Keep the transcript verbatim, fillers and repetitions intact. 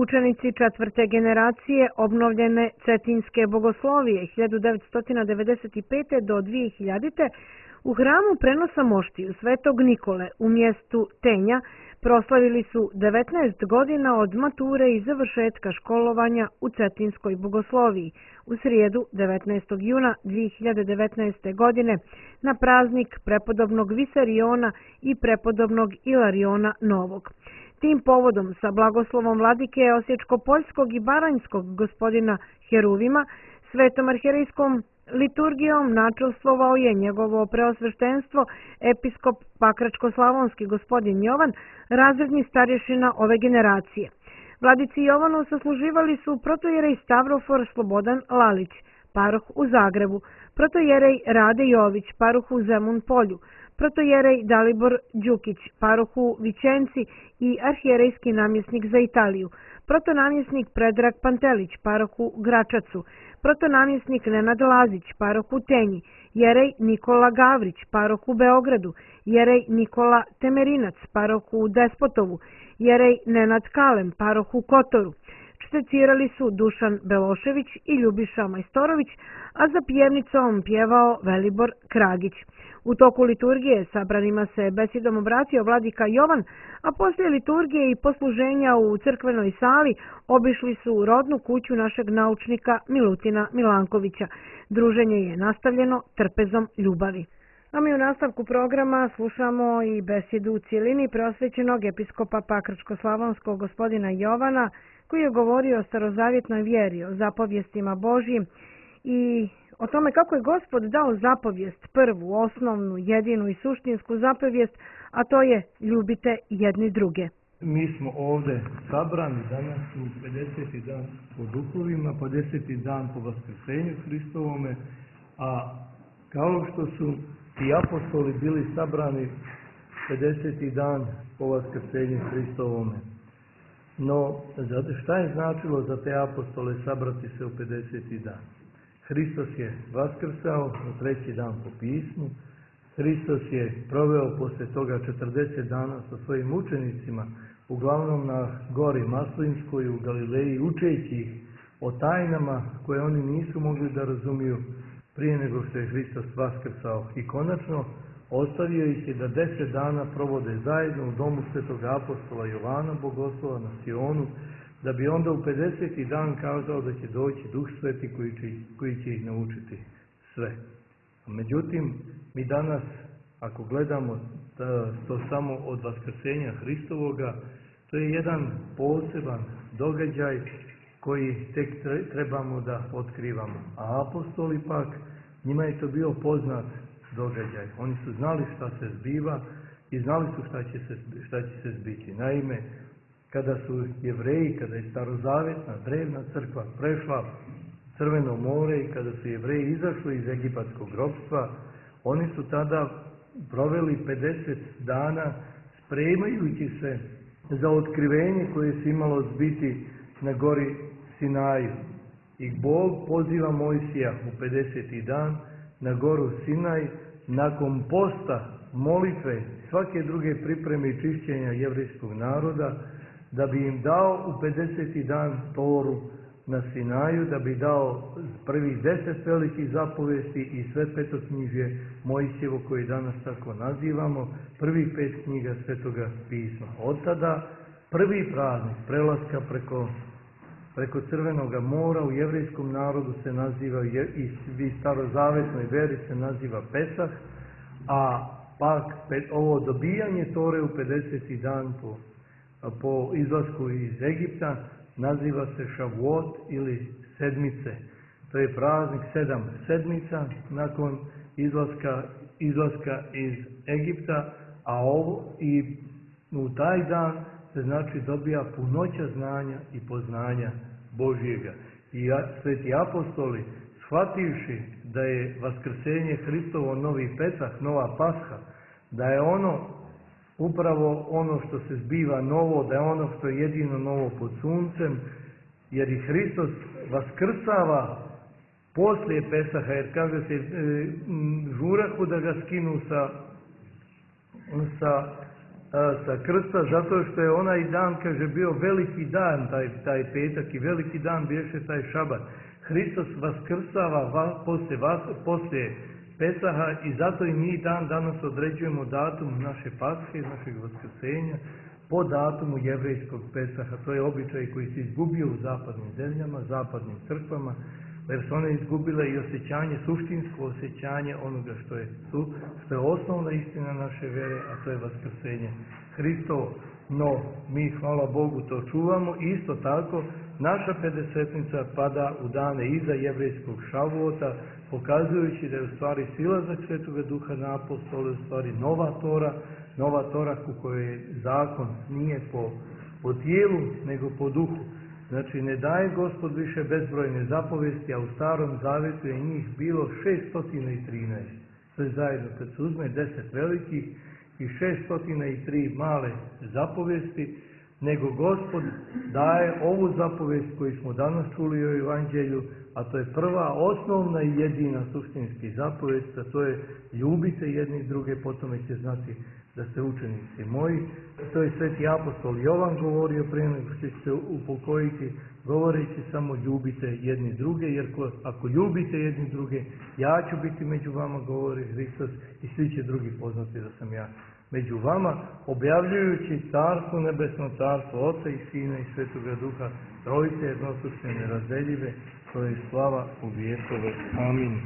Učenici četvrte generacije obnovljene Cetinjske bogoslovije hiljadu devetsto devedeset pete. do dve hiljadite. u hramu prenosa moštiju Svetog Nikole u mjestu Tenja proslavili su devetnaest godina od mature i završetka školovanja u Cetinjskoj bogosloviji u srijedu devetnaestog juna dve hiljade devetnaeste. godine na praznik prepodobnog Visariona i prepodobnog Ilariona Novog. Tim povodom sa blagoslovom vladike Osječko-Poljskog i Baranjskog gospodina Heruvima, svetom arhijerejskom liturgijom načelstvovao je njegovo preosveštenstvo episkop Pakračko-Slavonski gospodin Jovan, razredni starješina ove generacije. Vladici Jovanu sasluživali su protojerej Stavrofor Slobodan Lalić, paroh u Zagrebu, protojerej Rade Jović, paroh u Zemun Polju, protojerej Dalibor Đukić, paroh u Vićenci i arhijerejski namjesnik za Italiju, protonamjesnik Predrag Pantelić, paroh u Gračacu, protonamjesnik Nenad Lazić, paroh u Tenji, jerej Nikola Gavrić, paroh u Beogradu, jerej Nikola Temerinac, paroh u Despotovu, jerej Nenad Kalem, paroh u Kotoru. Čtecirali su Dušan Belošević i Ljubiša Majstorović, a za pjevnicom pjevao Velibor Kragić. U toku liturgije sabranima se besedom obratio vladika Jovan, a poslije liturgije i posluženja u crkvenoj sali obišli su rodnu kuću našeg naučnika Milutina Milankovića. Druženje je nastavljeno trpezom ljubavi. A mi u nastavku programa slušamo i besedu u cijelini preosvećenog episkopa Pakračko-Slavonskog gospodina Jovana, koji je govorio o starozavjetnoj vjeri, o zapovjestima Božjim i o tome kako je Gospod dao zapovijest, prvu, osnovnu, jedinu i suštinsku zapovijest, a to je ljubite jedni druge. Mi smo ovdje sabrani danas u pedeseti dan po duhovima, pedeseti dan po vaskrsenju Hristovome, a kao što su i apostoli bili sabrani pedeseti dan po vaskrsenju Hristovome. No, šta je značilo za te apostole sabrati se u pedeseti dan? Hristos je vaskrsao na treći dan po pismu, Hristos je proveo poslije toga četrdeset dana sa svojim učenicima, uglavnom na gori Maslinskoj u Galileji, učeći ih o tajnama koje oni nisu mogli da razumiju prije nego što je Hristos vaskrsao. I konačno ostavio ih je da deset dana provode zajedno u domu svetog apostola Jovana Bogoslova na Sionu, da bi onda u pedeseti dan kazao da će doći Duh Sveti koji će, koji će ih naučiti sve. Međutim, mi danas, ako gledamo to samo od vaskrsenja Hristovoga, to je jedan poseban događaj koji tek trebamo da otkrivamo. A apostoli pak, njima je to bio poznat događaj. Oni su znali šta se zbiva i znali su šta će se, šta će se zbiti. Naime, kada su Jevreji, kada je starozavjetna drevna crkva prešla Crveno more i kada su Jevreji izašli iz egipatskog ropstva, oni su tada proveli pedeset dana spremajući se za otkrivenje koje se imalo zbiti na gori Sinaju. I Bog poziva Mojsija u pedeseti dan na goru Sinaj nakon posta, molitve, svake druge pripreme i čišćenja jevrejskog naroda, da bi im dao u pedeseti dan Toru na Sinaju, da bi dao prvih deset velikih zapovesti i sve petoknjižje Mojsijevo koje danas tako nazivamo, prvih pet knjiga Svetoga pisma. Od tada prvi praznik prelaska preko, preko Crvenog mora u jevrejskom narodu se naziva i starozavetnoj veri se naziva Pesah, a pak ovo dobijanje Tore u pedeseti dan po po izlasku iz Egipta naziva se Šavuot ili sedmice. To je praznik sedam sedmica nakon izlaska, izlaska iz Egipta, a ovo i u taj dan se znači dobija punoća znanja i poznanja Božjega. I sveti apostoli, shvativši da je vaskrsenje Hristovo novi Pesah, nova Pasha, da je ono upravo ono što se zbiva novo, da je ono što je jedino novo pod suncem, jer i Hristos vaskrsava poslije Pesaha, jer kaže se e, žurahu da ga skinu sa, sa a, sa krsta, zato što je onaj dan, kaže, bio veliki dan, taj, taj petak, i veliki dan biješe taj šabat. Hristos vaskrsava va, poslije, vas, poslije Pesaha i zato i mi dan danas određujemo datum naše Pashe, našeg vaskrsenja, po datumu jevrejskog Pesaha. To je običaj koji se izgubio u zapadnim zemljama, zapadnim crkvama, jer su one izgubile i osjećanje, suštinsko osjećanje onoga što je, što je osnovna istina naše vere, a to je vaskrsenje Hristovo. No, mi, hvala Bogu, to čuvamo. Isto tako, naša pedesetnica pada u dane iza jevrejskog Šavuota, pokazujući da je u stvari silazak Svetoga Duha na apostole, u stvari nova Tora, nova Tora u kojoj je zakon nije po, po tijelu, nego po duhu. Znači, ne daje Gospod više bezbrojne zapovesti, a u Starom Zavjetu je njih bilo šeststo trinaest. Sve zajedno, kad se uzme deset velikih i šeststo tri male zapovesti, nego Gospod daje ovu zapovest koju smo danas čuli u Evanđelju, a to je prva, osnovna i jedina suštinski zapovest, a to je ljubite jedni druge, potom će znati da ste učenici moji. To je sveti apostol Jovan govorio prije nego što će se upokojiti, govoreći samo ljubite jedni druge, jer ako ljubite jedni druge, ja ću biti među vama, govori Hristos, i svi će drugi poznati da sam ja među vama, objavljujući carstvo nebesno, carstvo Oca i Sina i Svetoga Duha, trojice jednosušne nerazdeljive, to je slava u vjekove. Amin.